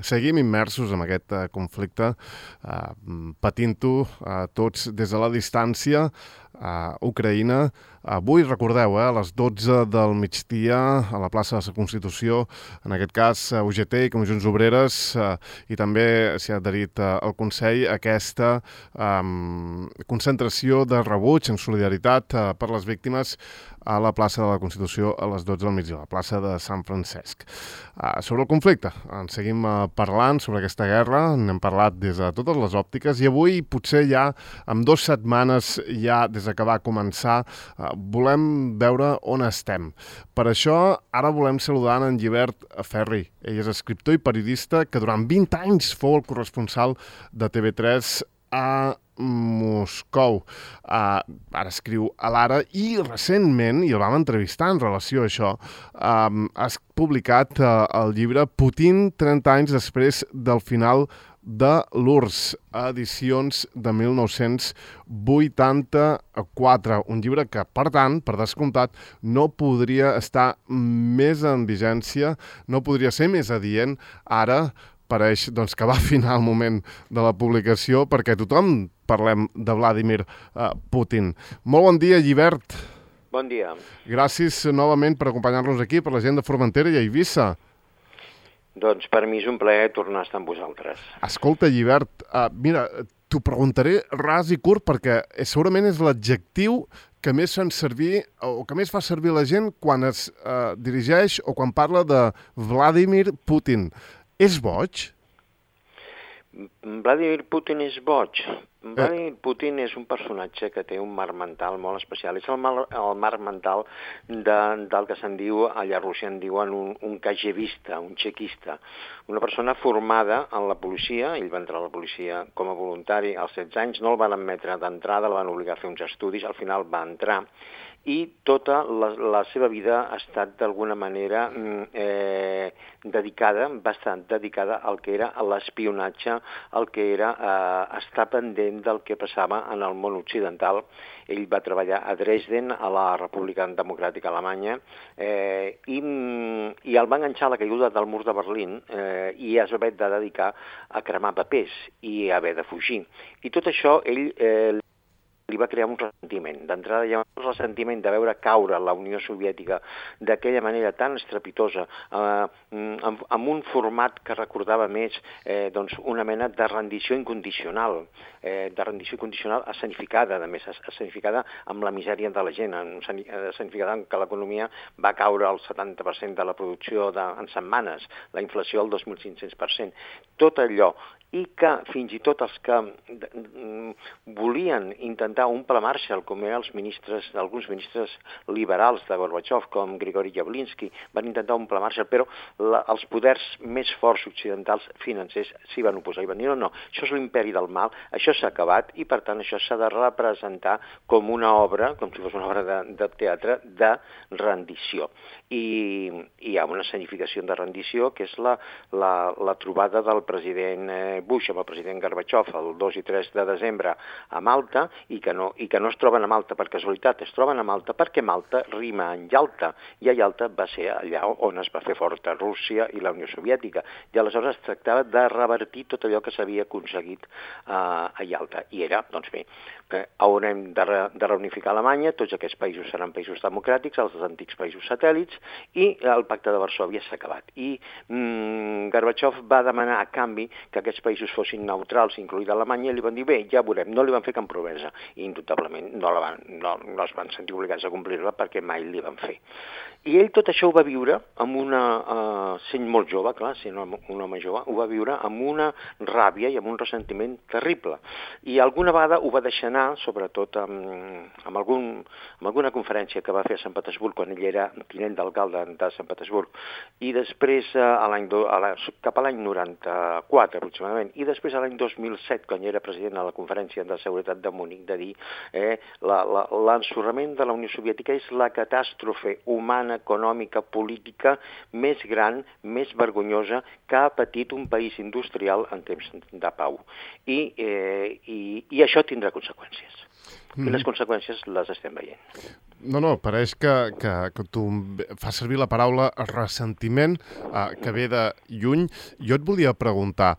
seguim immersos en aquest conflicte, patint-ho tots des de la distància a Ucraïna. Avui, recordeu, a les 12 del migdia a la plaça de la Constitució, en aquest cas UGT i Comissions Obreres, i també s'hi ha adherit al Consell aquesta concentració de rebuig en solidaritat per les víctimes a la plaça de la Constitució a les 12 del migdia, a la plaça de Sant Francesc. Sobre el conflicte, en seguim parlant sobre aquesta guerra, n'hem parlat des de totes les òptiques i avui potser ja, amb 2 setmanes ja des que va començar, volem veure on estem. Per això, ara volem saludar en Llibert Ferri. Ell és escriptor i periodista que durant 20 anys fou el corresponsal de TV3 a Moscou. Ara escriu a l'Ara i recentment, i el vam entrevistar en relació a això, has publicat el llibre Putin 30 anys després del final de l'URSS, edicions de 1984. Un llibre que, per tant, per descomptat, no podria estar més en vigència, no podria ser més adient. Ara pareix que va afinar el moment de la publicació perquè tothom parlem de Vladimir Putin. Molt bon dia, Llibert. Bon dia. Gràcies novament per acompanyar-nos aquí, per la gent de Formentera i Eivissa. Doncs per mi és un plaer tornar a estar amb vosaltres. Escolta, Llibert, mira, t'ho preguntaré ras i curt perquè segurament és l'adjectiu que més fan servir o que més fa servir la gent quan es dirigeix o quan parla de Vladimir Putin. És boig? Vladimir Putin és boig. Vladimir Putin és un personatge que té un marc mental molt especial. És el marc mental del que se'n diu, allà a Rússia en diuen un KGBista, un txequista. Una persona formada en la policia, ell va entrar a la policia com a voluntari als 16 anys, no el van admetre d'entrada, el van obligar a fer uns estudis, al final va entrar, i tota la seva vida ha estat d'alguna manera bastant dedicada al que era l'espionatge, al que era estar pendent del que passava en el món occidental. Ell va treballar a Dresden, a la República Democràtica Alemanya, i el va enganxar a la caiguda del mur de Berlín i es va haver de dedicar a cremar papers i haver de fugir. I tot això ell li va crear un ressentiment. D'entrada hi ha un ressentiment de veure caure la Unió Soviètica d'aquella manera tan estrepitosa, amb un format que recordava més una mena de rendició incondicional, escenificada, a més, escenificada amb la misèria de la gent, escenificada en que l'economia va caure al 70% de la producció en setmanes, la inflació al 2.500%. Tot allò, i que fins i tot els que volien intentar un pla Marshall, com eren alguns ministres liberals de Gorbachev, com Grigori Yavlinsky, van intentar un pla Marshall, però els poders més forts occidentals financers s'hi van oposar i van dir no, això és l'imperi del mal, això s'ha acabat i per tant això s'ha de representar com una obra, com si fos una obra de teatre, de rendició. I hi ha una escenificació de rendició que és la trobada del president Bush amb el president Gorbachev el 2 i 3 de desembre a Malta i que no es troben a Malta per casualitat, es troben a Malta perquè Malta rima en Yalta i a Yalta va ser allà on es va fer forta Rússia i la Unió Soviètica i aleshores es tractava de revertir tot allò que s'havia aconseguit a Yalta i era, doncs bé, haurem de reunificar Alemanya, tots aquests països seran països democràtics, els antics països satèl·lits i el pacte de Varsòvia s'ha acabat i Gorbachev va demanar a canvi que aquests països fossin neutrals, incloïda Alemanya, i li van dir, bé, ja veurem, no li van fer cap promesa, i indubtablement no es van sentir obligats a complir-la perquè mai li van fer. I ell tot això ho va viure sent molt jove, clar, sent un home jove, ho va viure amb una ràbia i amb un ressentiment terrible. I alguna vegada ho va deixar anar, sobretot amb alguna conferència que va fer a Sant Petersburg quan ell era tinent d'alcalde de Sant Petersburg. I després, cap a l'any 94, aproximadament, perfectament. I després, l'any 2007, quan jo era president a la Conferència de Seguretat de Múnich, de dir l'ensorrament de la Unió Soviètica és la catàstrofe humana, econòmica, política més gran, més vergonyosa que ha patit un país industrial en temps de pau. I això tindrà conseqüències. I les conseqüències les estem veient. No, pareix que tu fas servir la paraula ressentiment, que ve de lluny. Jo et volia preguntar,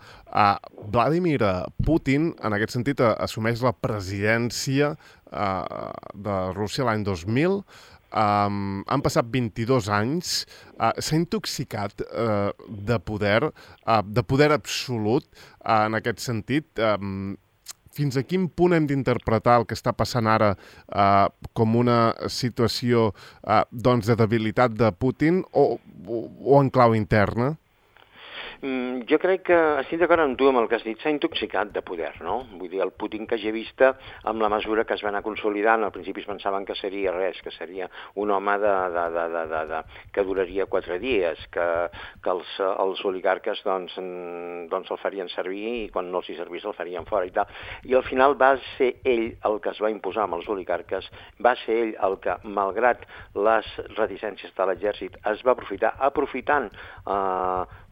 Vladimir Putin, en aquest sentit, assumeix la presidència de Rússia l'any 2000. Han passat 22 anys, s'ha intoxicat de poder absolut en aquest sentit. Fins a quin punt hem d'interpretar el que està passant ara com una situació de debilitat de Putin o en clau interna? Jo crec que estic d'acord amb tu amb el que has dit, s'ha intoxicat de poder, no? Vull dir, el Putin que ja he vist amb la mesura que es va anar consolidant, al principi es pensaven que seria res, que seria un home que duraria 4 dies, que els oligarques doncs el farien servir i quan no els hi servís el farien fora i tal. I al final va ser ell el que es va imposar amb els oligarques, va ser ell el que, malgrat les reticències de l'exèrcit, es va aprofitant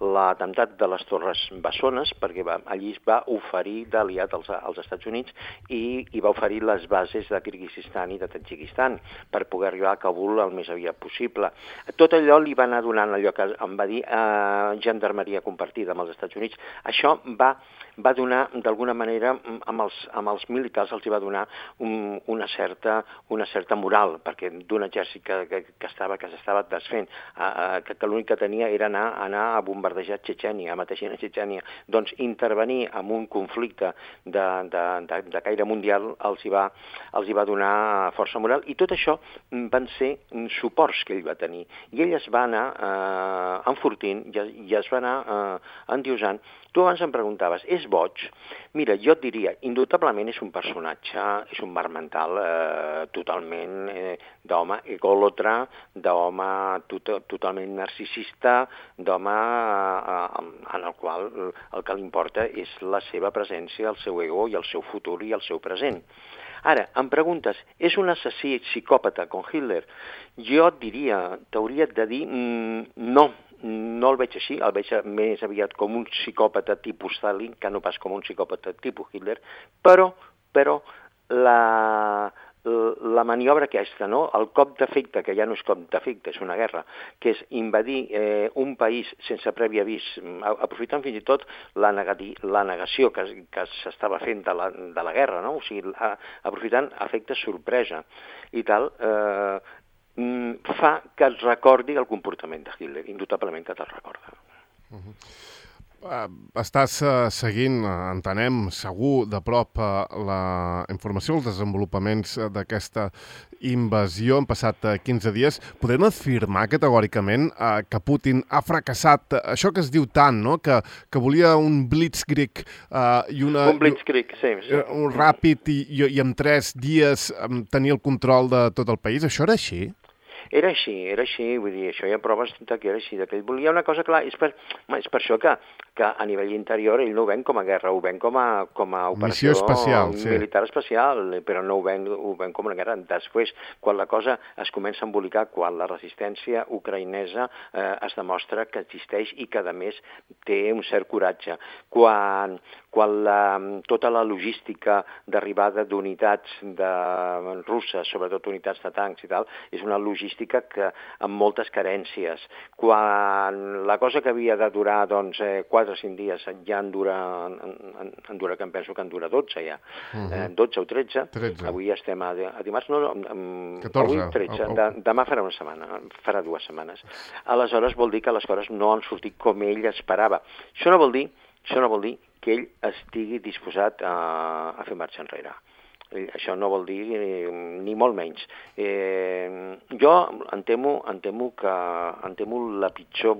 l'atemptat de les Torres Bessones, perquè allí es va oferir d'aliat als Estats Units i va oferir les bases de Kirguizistan i de Tadjikistan per poder arribar a Kabul el més aviat possible. Tot allò li va anar donant allò que em va dir gendarmeria compartida amb els Estats Units. Això va donar, d'alguna manera, amb els militars els va donar una certa moral, perquè d'un exèrcit que s'estava desfent, que l'únic que tenia era anar a bombardejar Txetxènia, a Mateixina Txetxènia, doncs intervenir en un conflicte de caire mundial els hi va donar força moral, i tot això van ser suports que ell va tenir. I ell es va anar enfortint i es va anar endiosant. Tu abans em preguntaves, és boig? Mira, jo et diria, indubtablement és un personatge, és un mar mental totalment d'home egòlotre, d'home totalment narcisista, d'home en el qual el que li importa és la seva presència, el seu ego i el seu futur i el seu present. Ara, em preguntes, és un assassí psicòpata com Hitler? Jo et diria, t'hauria de dir no el veig així, el veig més aviat com un psicòpata tipus Stalin que no pas com un psicòpata tipus Hitler, però la maniobra aquesta, no? El cop d'efecte, que ja no és cop d'efecte, és una guerra, que és invadir un país sense previ avís, aprofitant fins i tot la negació que s'estava fent de la guerra, no? O sigui, aprofitant efectes sorpresa i tal, fa que et recordi el comportament de Hitler, indubtablement que te'l recorda. Estàs seguint, entenem, segur de prop la informació, els desenvolupaments d'aquesta invasió. Han passat 15 dies. Podem afirmar categòricament que Putin ha fracassat això que es diu tant, no? Que volia un blitzkrieg i un blitzkrieg, sí. Un ràpid i en 3 dies tenir el control de tot el país. Això era així? Era així, vull dir, això hi ha proves que era així, que ell volia una cosa clara, és per això que a nivell interior ell no ho ven com a guerra, ho ven com a operació especial, militar especial, però no ho ven com una guerra. Després, quan la cosa es comença a embolicar, quan la resistència ucraïnesa es demostra que existeix i que, a més, té un cert coratge, quan tota la logística d'arribada d'unitats russes, sobretot unitats de tancs i tal, és una logística amb moltes carències. Quan la cosa que havia de durar 4 o 5 dies ja en dura que em penso que en dura 12 ja. 12 o 13. Avui estem a dimarts, 14. Avui 13. Demà farà una setmana, farà 2 setmanes. Aleshores vol dir que les coses no han sortit com ell esperava. Això no vol dir que ell estigui disposat a fer marxa enrere. Això no vol dir ni molt menys. Jo em temo la pitjor,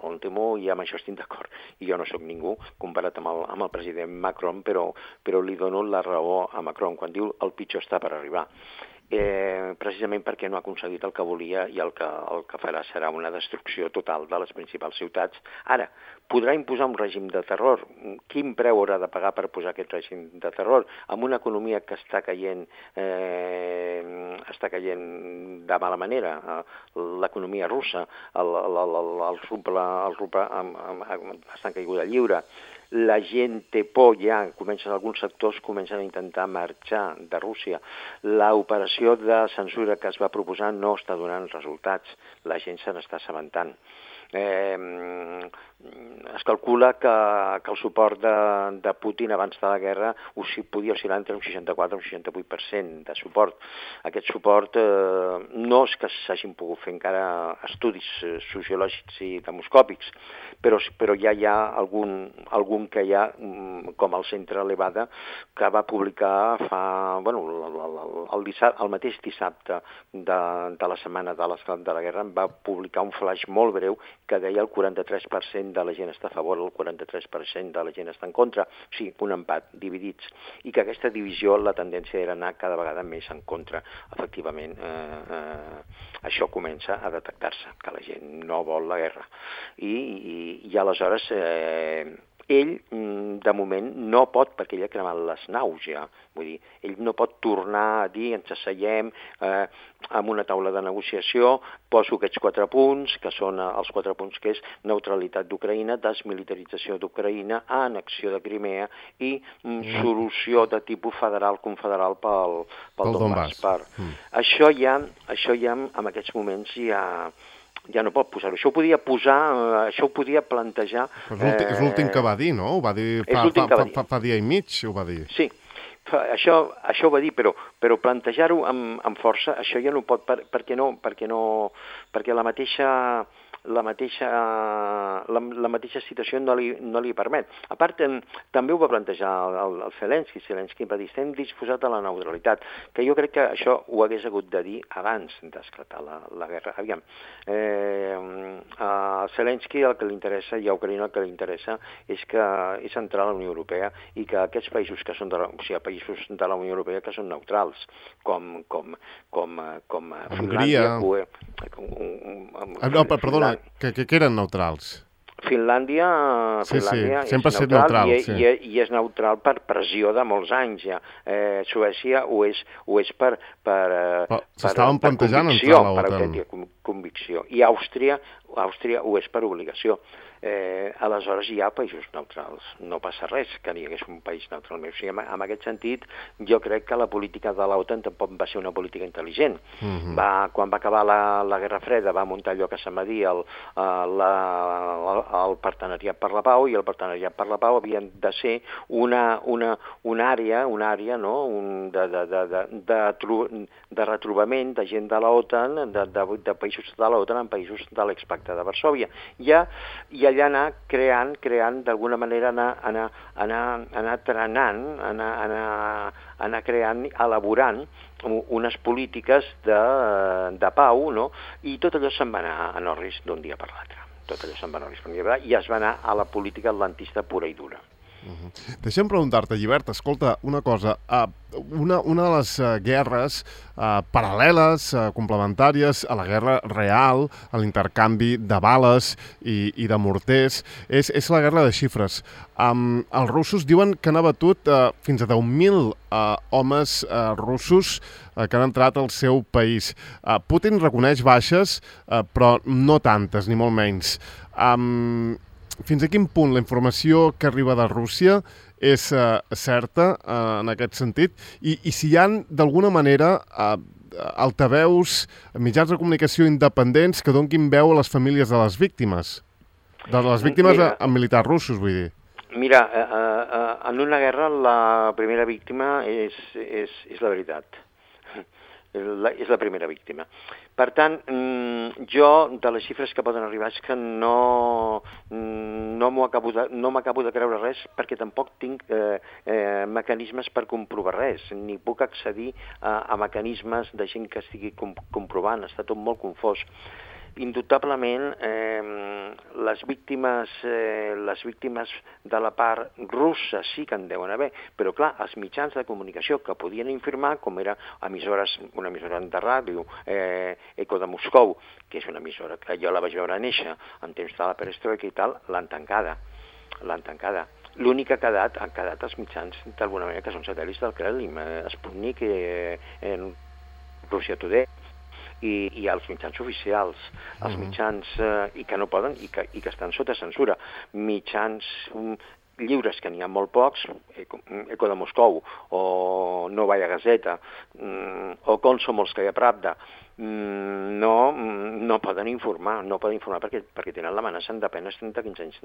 em temo i amb això estic d'acord, i jo no sóc ningú comparat amb el president Macron, però li dono la raó a Macron quan diu el pitjor està per arribar. precisament perquè no ha aconseguit el que volia i el que farà serà una destrucció total de les principals ciutats. Ara, podrà imposar un règim de terror. Quin preu haurà de pagar per posar aquest règim de terror? Amb una economia que està caient de mala manera, l'economia russa, el ruble està en caiguda lliure, la gent té por ja, alguns sectors comencen a intentar marxar de Rússia. L'operació de censura que es va proposar no està donant resultats, la gent se n'està assabentant. Es calcula que el suport de Putin abans de la guerra podia oscil·lar entre un 64 i un 68% de suport. Aquest suport no és que s'hagin pogut fer encara estudis sociològics i demoscòpics, però ja hi ha algun que hi ha, com el Centre Levada, que va publicar el mateix dissabte de la setmana de l'esclat de la guerra, va publicar un flaix molt breu que deia el 43% de la gent està a favor, el 43% de la gent està en contra, o sigui, un empat, dividits, i que aquesta divisió, la tendència era anar cada vegada més en contra. Efectivament, això comença a detectar-se, que la gent no vol la guerra. I aleshores ell, de moment, no pot, perquè ell ha cremat les naus ja, vull dir, ell no pot tornar a dir, ens asseiem amb una taula de negociació, poso aquests 4 punts, que són els 4 punts que és neutralitat d'Ucraïna, desmilitarització d'Ucraïna, annexió de Crimea i solució de tipus federal, confederal pel Donbass. Això ja, en aquests moments, ja no pot posar-ho. Això ho podia plantejar... És l'últim que va dir, no? Ho va dir fa dia i mig, ho va dir. Sí, això ho va dir, però plantejar-ho amb força, això ja no pot, perquè la mateixa situació no li permet. A part, també ho va plantejar el Zelensky. Zelensky va dir, estem disposats a la neutralitat, que jo crec que això ho hagués hagut de dir abans d'esclatar la guerra. Aviam, a Zelensky el que li interessa, i a Ucraïna el que li interessa, és entrar a la Unió Europea i que aquests països que són països de la Unió Europea que són neutrals, com Finlàndia... Perdona, que eren neutrals. Finlàndia sempre és neutral, i és neutral per pressió de molts anys ja. Suècia ho és per s'estaven plantejant entrar a l'OTAN. Per convicció. I Àustria ho és per obligació. Aleshores hi ha països neutrals. No passa res que n'hi hagués un país neutral. O sigui, en aquest sentit, jo crec que la política de l'OTAN tampoc va ser una política intel·ligent. Quan va acabar la Guerra Freda va muntar allò que se'n va dir el Partenariat per la Pau, i el Partenariat per la Pau havia de ser una àrea no? de retrobament de gent de l'OTAN, de països de l'OTAN en països de l'expacte de Varsòvia. I allà anar creant d'alguna manera, anar trenant, anar creant, elaborant unes polítiques de pau, no? I tot allò se'n va anar a Norris d'un dia per l'altre. I es va anar a la política atlantista pura i dura. Deixa'm preguntar-te, Llibert, escolta, una cosa. Una de les guerres paral·leles, complementàries a la guerra real, a l'intercanvi de bales i de morters, és la guerra de xifres. Els russos diuen que han abatut fins a 10.000 homes russos que han entrat al seu país. Putin reconeix baixes, però no tantes, ni molt menys. Fins a quin punt la informació que arriba de Rússia és certa en aquest sentit? I si hi ha, d'alguna manera, altaveus, mitjans de comunicació independents que donin veu a les famílies de les víctimes? De les víctimes amb militars russos, vull dir. Mira, en una guerra la primera víctima és la veritat. És la primera víctima. Per tant, jo, de les xifres que poden arribar, és que no m'acabo de creure res, perquè tampoc tinc mecanismes per comprovar res, ni puc accedir a mecanismes de gent que estigui comprovant, està tot molt confós. indubtablement les víctimes de la part russa sí que en deuen haver, però clar, els mitjans de comunicació que podien informar, com era una emissora de ràdio, Eco de Moscou, que és una emissora que jo la vaig veure néixer en temps de la perestroika i tal, l'han tancada. L'únic que han quedat els mitjans, d'alguna manera, que són satèl·lits del Kremlin, Sputnik, Russia Today, i els mitjans oficials, els mitjans i que no poden i que estan sota censura, mitjans lliures, que n'hi ha molt pocs, Eco de Moscou, o Novaya Gazeta, o Komsomolskaya Pravda, no poden informar perquè tenen l'amenaça de penes de 15 anys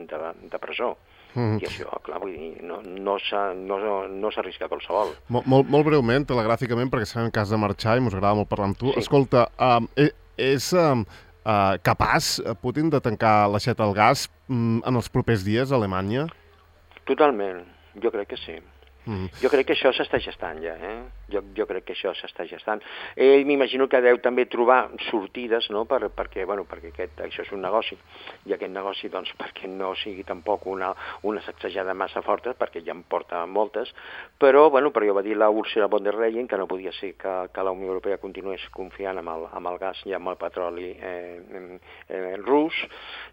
de presó. I això, clar, vull dir, no s'arrisca qualsevol. Molt breument, telegràficament, perquè sabem que has de marxar i m'ho agrada molt parlar amb tu. Sí. Escolta, és capaç Putin de tancar l'aixeta al gas en els propers dies a Alemanya? Totalment, jo crec que sí. Jo crec que això s'està gestant ja, Jo crec que això s'està gestant. Ell m'imagino que deu també trobar sortides, no?, perquè això és un negoci, i aquest negoci, doncs, perquè no sigui tampoc una sacsejada massa forta, perquè ja en porta moltes, però jo va dir la Ursula von der Leyen que no podia ser que la Unió Europea continués confiant amb el gas i amb el petroli rus,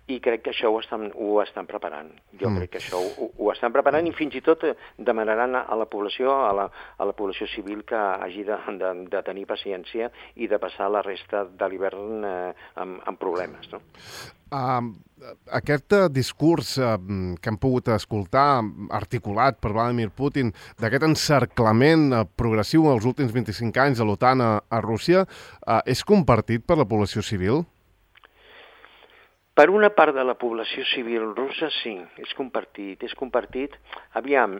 i crec que això ho estan preparant. Jo crec que això ho estan preparant, i fins i tot demanaran a la població civil que hagi de tenir paciència i de passar la resta de l'hivern amb problemes, no? Aquest discurs que hem pogut escoltar, articulat per Vladimir Putin, d'aquest encerclament progressiu els últims 25 anys de l'OTAN a Rússia, és compartit per la població civil? Per una part de la població civil russa, sí, és compartit. Aviam,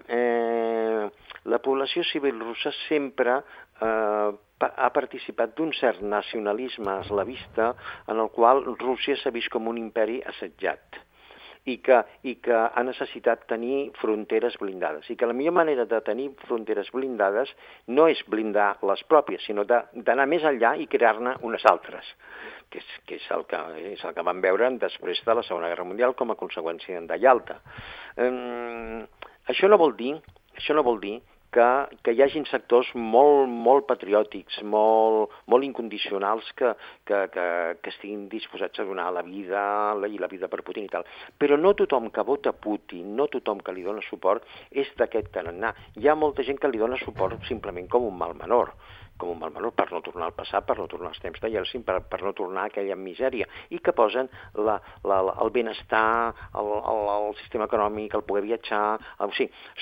la població civil russa sempre ha participat d'un cert nacionalisme eslavista en el qual Rússia s'ha vist com un imperi assetjat i que ha necessitat tenir fronteres blindades, i que la millor manera de tenir fronteres blindades no és blindar les pròpies, sinó d'anar més enllà i crear-ne unes altres, que és el que vam veure després de la Segona Guerra Mundial com a conseqüència de Yalta. Això no vol dir que hi hagin sectors molt patriòtics, molt incondicionals que estiguin disposats a donar la vida per Putin i tal. Però no tothom que vota Putin, no tothom que li dona suport és d'aquest tarannà. Hi ha molta gent que li dona suport simplement com un mal menor, per no tornar al passat, per no tornar als temps de Yeltsin, per no tornar a aquella misèria, i que posen el benestar, el sistema econòmic, el poder viatjar,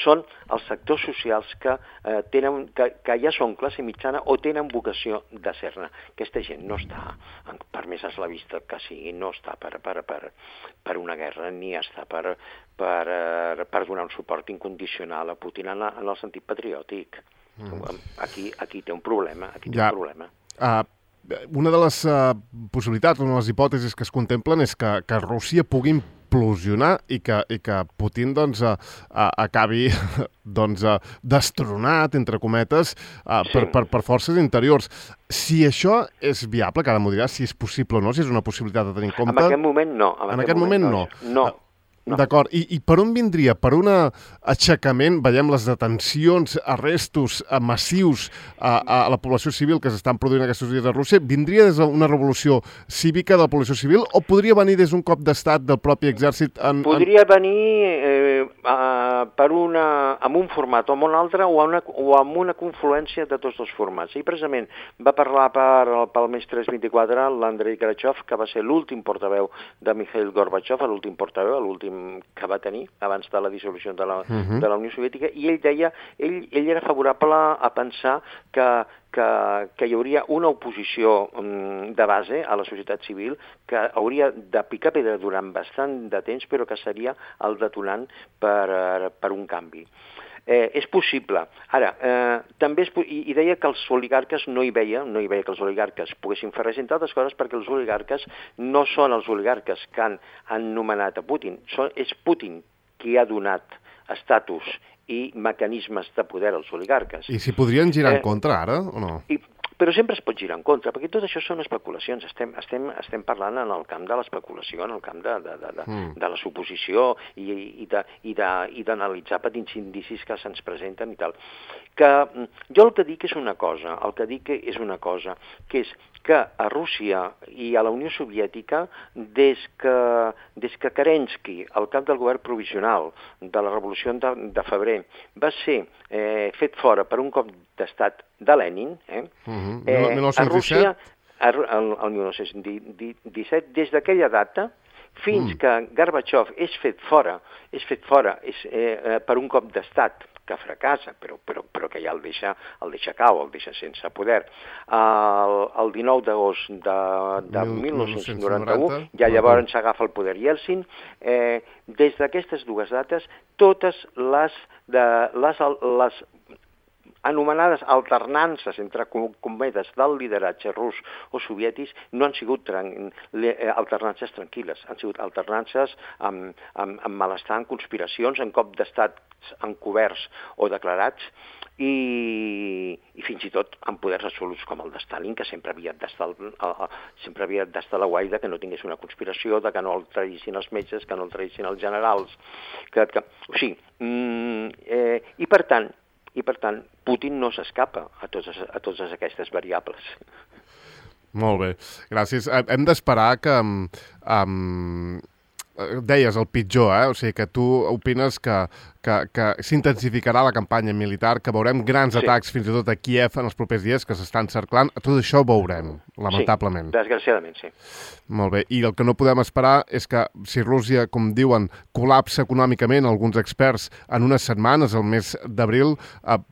són els sectors socials que ja són classe mitjana o tenen vocació de ser-ne. Aquesta gent no està, per més eslavista que sigui, no està per una guerra, ni està per donar un suport incondicional a Putin en el sentit patriòtic. Aquí té un problema, Una de les possibilitats, una de les hipòtesis que es contemplen és que Rússia pugui implosionar i que Putin acabi destronat, entre cometes, per forces interiors. Si això és viable, que ara m'ho diràs, si és possible o no, si és una possibilitat de tenir en compte... En aquest moment no. En aquest moment no. No. D'acord. I per on vindria? Per un aixecament, veiem les detencions, arrestos massius a la població civil que s'estan produint aquests dies a Rússia, vindria des d'una revolució cívica de la població civil o podria venir des d'un cop d'estat del propi exèrcit? Podria venir amb un format o amb un altre o amb una confluència de tots dos formats. I precisament va parlar pel mes 324 l'Andrei Karachev, que va ser l'últim portaveu de Mikhail Gorbachev, l'últim portaveu, l'últim que va tenir abans de la dissolució de la Unió Soviètica, i ell deia, ell era favorable a pensar que hi hauria una oposició de base a la societat civil que hauria de picar pedra durant bastant de temps, però que seria el detonant per un canvi. És possible. Ara, també i deia que els oligarques no hi veia que els oligarques poguessin fer res, entre altres coses perquè els oligarques no són els oligarques que han nomenat a Putin, és Putin qui ha donat estatus i mecanismes de poder als oligarques. I s'hi podrien girar en contra ara o no? Però sempre es pot girar en contra, perquè tot això són especulacions. Estem parlant en el camp de l'especulació, en el camp de la suposició i d'analitzar petits indicis que se'ns presenten i tal. Que jo el que dic és una cosa, que és que a Rússia i a la Unió Soviètica, des que Kerensky, el cap del govern provisional de la Revolució de febrer, va ser fet fora per un cop d'estat de Lenin, a Rússia, el 1917, des d'aquella data, fins que Gorbachev és fet fora per un cop d'estat que fracassa, però que ja el deixa cau, el deixa sense poder. El 19 d'agost de 1991, ja llavors s'agafa el poder Yeltsin. Des d'aquestes dues dates, totes les anomenades alternances entre cometes del lideratge rus o soviètics no han sigut alternances tranquil·les, han sigut alternances amb malestar, en conspiracions, en cop d'estats encoberts o declarats i fins i tot amb poders absoluts com el de Stalin, que sempre havia d'estar a la guaida que no tingués una conspiració, de que no el traïssin els metges, que no el traïssin els generals. I per tant, Putin no s'escapa a totes aquestes variables. Molt bé, gràcies. Hem d'esperar que... deies el pitjor, o sigui que tu opines que s'intensificarà la campanya militar, que veurem grans atacs fins i tot a Kíev en els propers dies, que s'estan cerclant. Tot això ho veurem, lamentablement. Sí, desgraciadament, sí. Molt bé, i el que no podem esperar és que si Rússia, com diuen, col·lapsa econòmicament, alguns experts, en unes setmanes, el mes d'abril,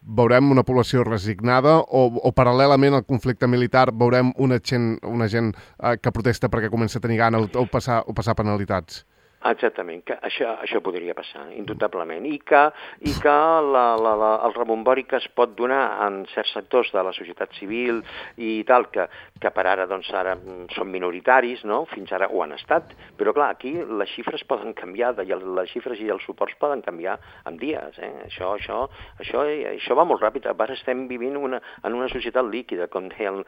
veurem una població resignada o paral·lelament al conflicte militar veurem una gent que protesta perquè comença a tenir gana o passar penalitats. Exactament, que això podria passar, indubtablement, i que el rebombori que es pot donar en certs sectors de la societat civil i tal, que per ara, doncs, ara són minoritaris, no? Fins ara ho han estat, però clar, aquí les xifres poden canviar, les xifres i els suports poden canviar en dies, Això va molt ràpid, ara estem vivint en una societat líquida, com deia el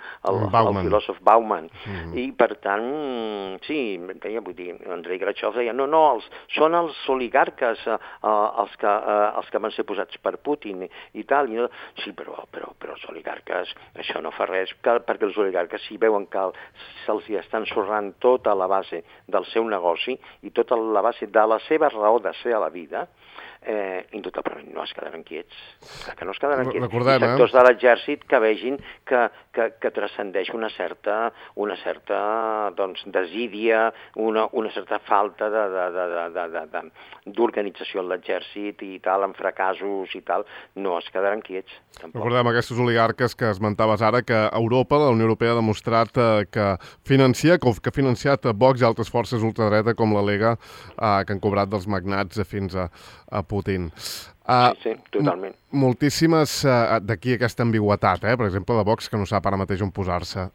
filòsof Bauman, i per tant, sí, vull dir, Andrei Grachev deia, són els oligarques els que van ser posats per Putin i tal. Sí, però els oligarques, això no fa res, perquè els oligarques si veuen que se'ls està ensorrant tota la base del seu negoci i tota la base de la seva raó de ser a la vida, indubtablement no es quedaran quiets. Que no es quedaran quiets. Recordem, sectors de l'exèrcit que vegin que transcendeix una certa desídia, una certa falta d'organització en l'exèrcit i tal, amb fracassos i tal, no es quedaran quiets. Tampoc. Recordem aquestes oligarques que esmentaves ara, que Europa, la Unió Europea, ha demostrat que ha financiat Vox i altres forces ultradreta com la Lega, que han cobrat dels magnats fins a Putin. Sí, totalment. Moltíssimes, d'aquí aquesta ambigüetat, per exemple, de Vox, que no sap ara mateix on posar-se.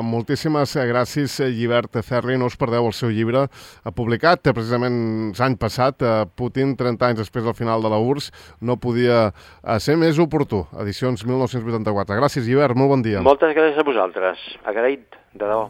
Moltíssimes gràcies, Llibert Ferri. No us perdeu el seu llibre publicat precisament l'any passat, Putin, 30 anys després del final de la URSS, no podia ser més oportú. Edicions 1984. Gràcies, Llibert, molt bon dia. Moltes gràcies a vosaltres. Agraït, de debò.